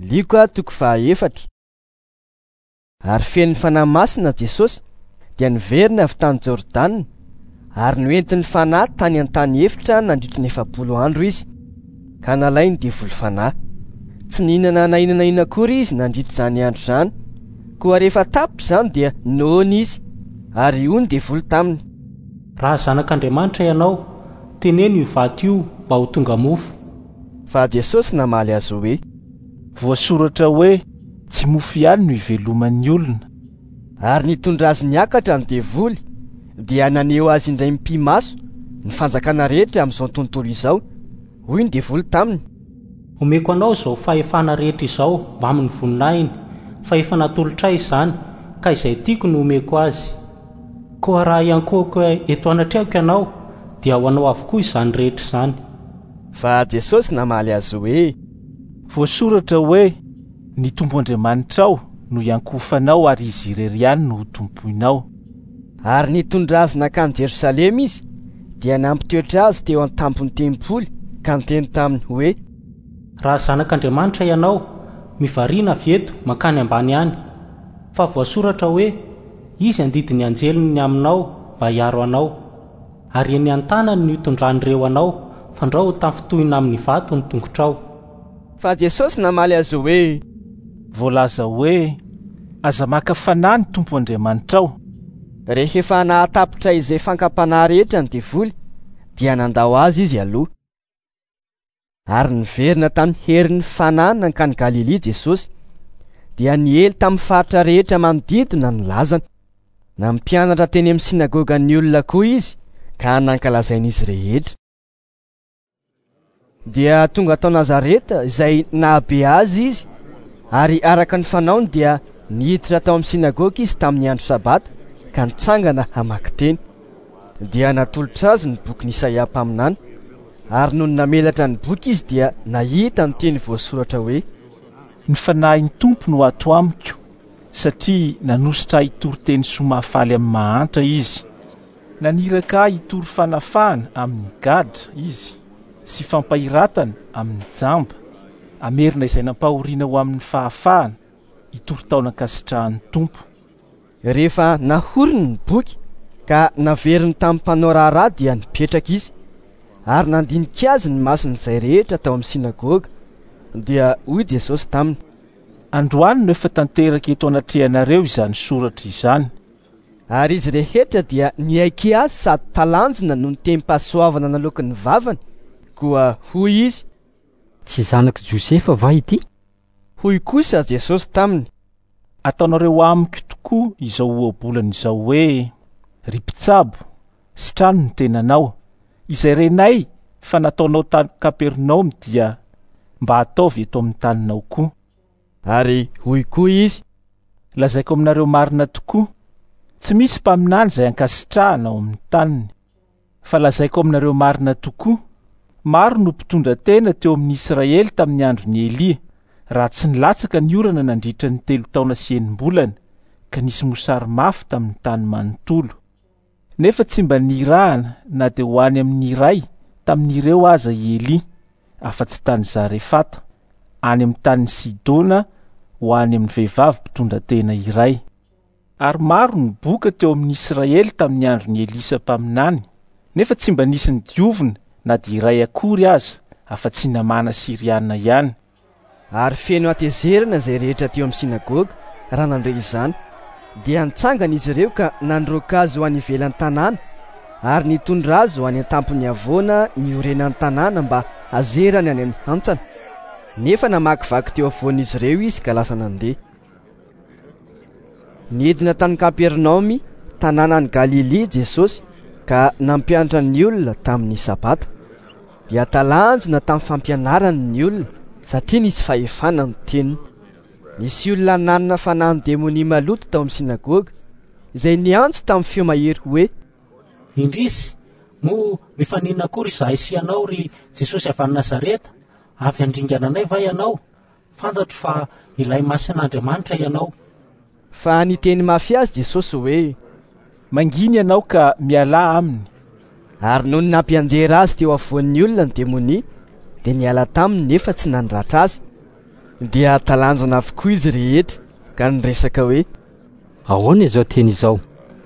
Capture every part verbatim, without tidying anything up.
Lioka toko fahaefatra. Ary feno Fanahy Masina Jesosy dia niverina avy tany Jordana ary noentin'ny Fanahy tany an-tany efitra nandritra ny efapolo andro izy, ka nalainy devoly fanahy. Tsy nihinana na inona na inona akory izy nandritra izany andro izany, koa rehefa tapitra izany dia noana izy, ary hoy ny devoly taminy: Raha zanak'Andriamanitra ianao, teneno io vato io mba ho tonga mofo. Fa Jesosy namaly azy hoe: Voasoratra hoe tsy mofo ihany no iveloman'ny olona. Ary nitondra azy niakatra ny devoly, dia naneho azy indray mipi-maso ny fanjakana rehetra amin'izao tontolo izao. Hoy ny devoly taminy: Omeko anao izao fahefana rehetra izao mbamin'ny voninahiny, fa efa natolotray izany, ka izay tiako no omeko azy. Koa raha hiankohoka eto anatrehako ianao, dia ho anao avokoa izany rehetra izany. Fa Jesosy namaly azy hoe: Voasoratra hoe ny Tompo Andriamanitrao no hiankohofanao ary izy irery ihany no ho tompoinao. Ary nitondra azy nankany Jerosalema izy, dia nampitoetra azy teo an-tampon'ny tempoly ka niteny taminy hoe: Raha zanak'Andriamanitra ianao, mivarina avy eto mankany ambany any, fa voasoratra hoe izy handidy ny anjeliny ny aminao mba hiaro anao, ary eny an-tanany no hitondran'ireo anao, fandrao ho tafintohina amin'ny vato ny tongotrao. Fa Jesosy namaly azy hoe: Voalaza hoe aza maka fanahy ny Tompo Andriamanitrao. Rehefa nahatapitra izay fankam-panahy rehetra ny devoly, dia nandao azy izy aloha. Ary niverina tamin'ny herin'ny Fanahy nankany Galilia Jesosy, dia niely tamin'ny faritra rehetra manodidina ny lazany. Nampianatra teny amin'ny sinagogan'ny olona koa izy, ka nankalazain'izy rehetra. Dia tonga tao Nazareta izay nahabe azy izy, ary araka ny fanaony dia niditra tao amin'ny sinagoga izy tamin'ny andro sabata, ka nitsangana hamaky teny. Dia natolotra azy ny bokin'i Isaia mpaminany, ary nony namelatra ny boky izy dia nahita ny teny voasoratra hoe: Ny Fanahin'ny Tompo no ato amiko, satria nanositra ahy hitory teny soa mahafaly amin'ny mahantra izy. Naniraka ahy hitory fanafahana amin'ny gadra izy sy fampahiratana amin'ny jamba, hamerina izay nampahoriana ho amin'ny fahafahana, hitory taona ankasitrahan'ny Tompo. Rehefa nahoriny ny boky ka naveriny tamin'ny mpanao raharaha dia nipetraka izy, ary nandinika azy ny mason'izay rehetra tao amin'ny sinagoga. Dia hoy Jesosy taminy: Androany no efa tanteraka eto anatrehanareo izany soratra izany. Ary izy rehetra dia niaiky azy sady talanjona noho ny tenim-pahasoavana naloaky ny vavany. Koa hoy izy: Tsy zanak'i Josefa va ity? Hoy kosa Jesosy taminy: Ataonareo amiko tokoa izao ohabolana izao hoe: Ry mpitsabo, sitrano ny tenanao. Izay renay fa nataonao tany Kapernaomy dia mba ataovy eto amin'ny taninao koa. Ary hoy koa izy: Lazaiko aminareo marina tokoa, tsy misy mpaminany izay ankasitrahana ao amin'ny taniny. Fa lazaiko aminareo marina tokoa, maro no mpitondra tena teo amin'ny Israely tamin'ny andron'i Elia, raha tsy nilatsaka ny orana nandritra ny telo taona sy enim-bolana, ka nisy mosary mafy tamin'ny tany manontolo. Nefa tsy mba nirahana na dia ho any amin'ny iray tamin'ireo aza i Elia, afa-tsy tany Zarefata, any amin'ny tanin'i Sidona, ho any amin'ny vehivavy mpitondra tena iray. Ary maro ny boka teo amin'ny Israely tamin'ny andron'i Elisa mpaminany, nefa tsy mba nisy nodiovina na dia iray akory aza, afa-tsy Namàna Siriana ihany. Ary feno hatezerana izay rehetra teo amin'ny sinagoga raha nandre izany, dia nitsangana izy ireo ka nandroaka azy ho any ivelan'ny tanàna, ary nitondra azy ho any an-tampon'ny havoana niorenan'ny tanàna mba hazerany any amin'ny hantsana. Nefa namakivaky teo afovoan'izy ireo izy ka lasa nandeha. Nidina tany Kapernaomy, tanànan'i Galilia Jesosy, ka nampianatra ny olona tamin'ny sabata. Dia talanjona tamin'ny fampianarany ny olona, satria nisy fahefana ny teniny. Nisy olona nanana fanahin'ny demonia maloto tao amin'ny sinagoga, izay niantso tamin'ny feo mahery hoe: Indrisy, moa mifaninona akory izahay sy ianao, ry Jesosy avy any Nazareta? Avy handringana anay va ianao? Fantatro fa ilay masin'Andriamanitra ianao. Fa niteny mafy azy Jesosy hoe: Manginy ianao ka mialà aminy. Ary nony nampianjera azy teo afovoan'ny olona ny demonia, dia niala taminy nefa tsy nandratra azy. Dia talanjona avokoa izy rehetra ka niresaka hoe: Ahoana izao teny izao?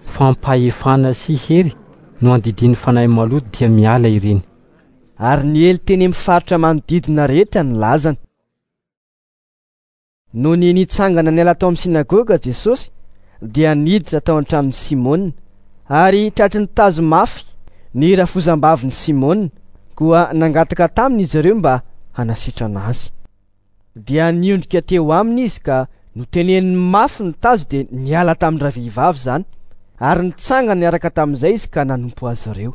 Fampahefana sy hery no andidian'ny fanahy maloto dia miala ireny. Ary niely teny amin'ny faritra manodidina rehetra ny lazany. Nony nitsangana niala tao amin'ny synagoga Jesosy dia niditra tao an-tranon'i Simona, ary tratry ny tazo mafy ny rafozam-bavin'i Simona, koa nangataka taminy izy ireo mba hanasitrana azy. Dia niondrika teo aminy izy ka noteneniny mafy ny tazo, dia niala tamin'ny ravehivavy izany, ary nitsangana niaraka tamin'izay izy ka nanompo azy ireo.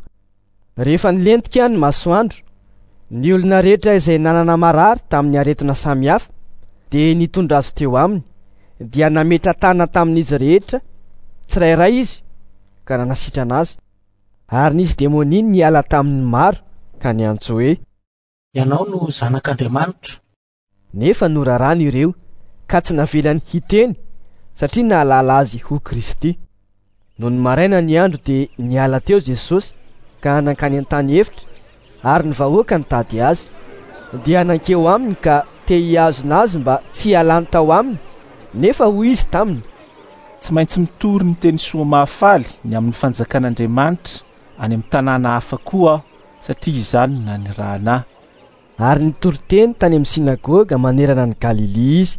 Rehefa nilentika ny masoandro, ny olona rehetra izay nanana marary tamin'ny aretina samihafa dia nitondra azy teo aminy, dia nametra-tanana tamin'izy rehetra tsirairay izy ka nanasitrana azy. Ary nisy demonia niala tamin'ny maro ka niantso hoe: Ianao no zanak'Andriamanitra. Nefa norarany ireo ka tsy navelany hiteny satria nahalala azy ho Kristy. Nony maraina ny andro dia niala teo Jesosy ka nankany an-tany efitra, ary ny vahoaka nitady azy. Dia nankeo aminy ka te hihazona azy mba tsy hialany tao aminy, nefa hoy izy taminy: Tsy maintsy mitory ny teny soa mahafaly ny amin'ny fanjakan'Andriamanitra any amin'ny tanàna hafa koa aho, satria izany no nanirahana ahy. Ary nitory teny tany amin'ny synagoga manerana ny Galilia izy.